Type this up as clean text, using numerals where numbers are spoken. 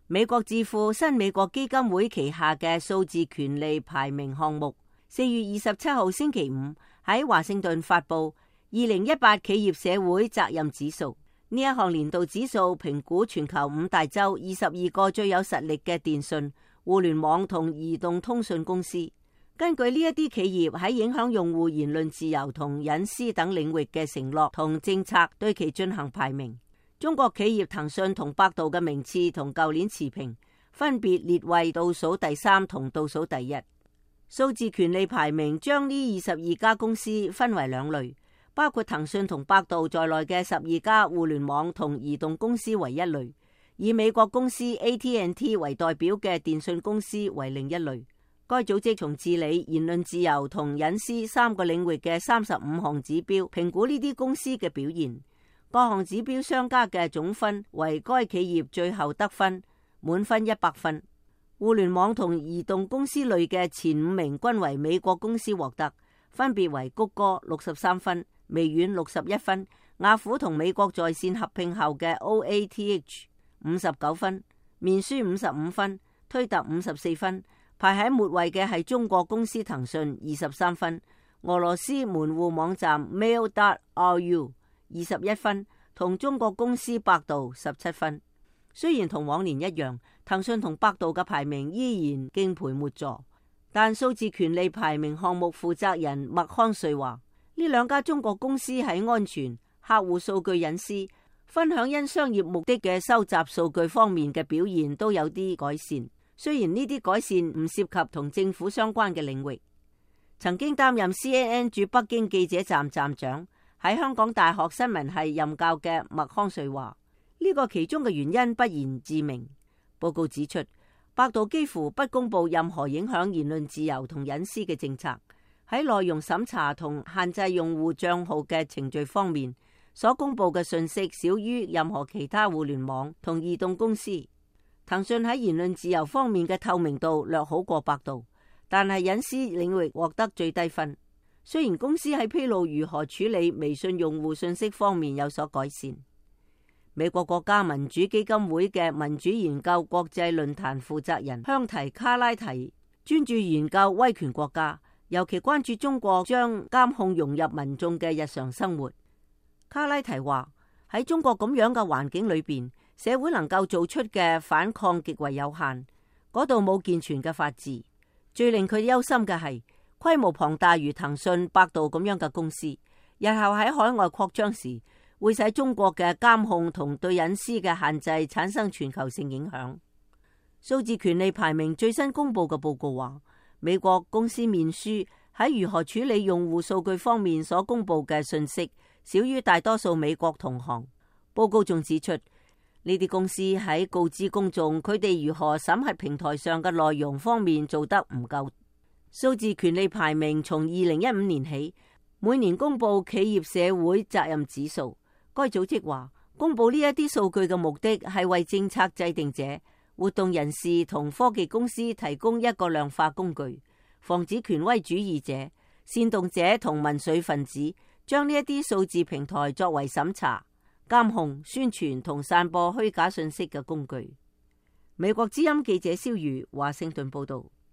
美國智庫新美國基金會旗下嘅數字權利排名項目4月27號星期五喺華盛頓發布2018企業社會責任指數。呢一項年度指數評估全球5大洲22個最有實力嘅電信、互聯網同移動通訊公司。根據呢一啲企業喺影響用戶言論自由同隱私等領域嘅承諾同政策，對其進行排名。中國企業騰訊同百度嘅名次同舊年持平，分別列為倒數第3同倒數第1。數字權利排名將呢22家公司分為2類，包括騰訊同百度在內嘅12家互聯網同移動公司為一類，以美國公司 AT&T 為代表嘅電信公司為另一類。該組織從治理、言論自由同隱私3個領域嘅35項指標評估呢啲公司嘅表現，各項指標相加嘅總分為該企業最後得分，滿分100分。互聯網同移動公司類嘅前5名均為美國公司獲得，分別為谷歌63分、微軟61分、雅虎同美國在線合併後嘅 OATH 59分、面書55分、推特54分。排喺末位嘅係中國公司騰訊23分，俄羅斯門戶網站 Mail.ru 21分，同中國公司百度17分。雖然同往年一樣，騰訊同百度嘅排名依然敬陪末座，但數字權利排名項目負責人麥康瑞話，呢2家中國公司喺安全、客戶數據隱私、分享因商業目的嘅收集數據方面嘅表現都有啲改善。雖然呢啲改善唔涉及同政府相關嘅領域。曾經擔任 CNN 駐北京記者站站長，喺香港大學新聞系任教嘅麥康瑞話，呢個其中嘅原因不言自明。報告指出，百度幾乎不公布任何影響言論自由同隱私嘅政策，喺內容審查同限制用戶賬號嘅程序方面，所公布嘅信息少於任何其他互聯網同移動公司。騰訊喺言論自由方面嘅透明度略好過百度，但係隱私領域獲得最低分。雖然公司喺披露如何處理微信用戶信息方面有所改善。美國國家民主基金會嘅民主研究國際論壇負責人香提卡拉提專注研究威權國家，尤其關注中國將監控融入民眾嘅日常生活。卡拉提話，喺中國咁樣嘅環境裏邊，社會能夠做出嘅反抗極為有限，嗰度冇健全嘅法治。最令佢憂心嘅係規模龐大如騰訊、百度咁樣嘅公司，日後喺海外擴張時，會使中國嘅監控同對隱私嘅限制產生全球性影響。數字權利排名最新公布嘅報告話，美國公司面書喺如何處理用戶數據方面所公布嘅信息，少於大多數美國同行。報告仲指出，呢啲公司喺告知公眾佢哋如何審核平台上嘅內容方面做得唔夠。數字權利排名從2015年起，每年公布企業社會責任指數。該組織話，公布呢一啲數據嘅目的係為政策制定者、活動人士同科技公司提供一個量化工具，防止權威主義者、煽動者同民粹分子將呢一啲數字平台作為審查、監控、宣傳同散播虛假信息嘅工具。美國之音記者蕭如華盛頓報道。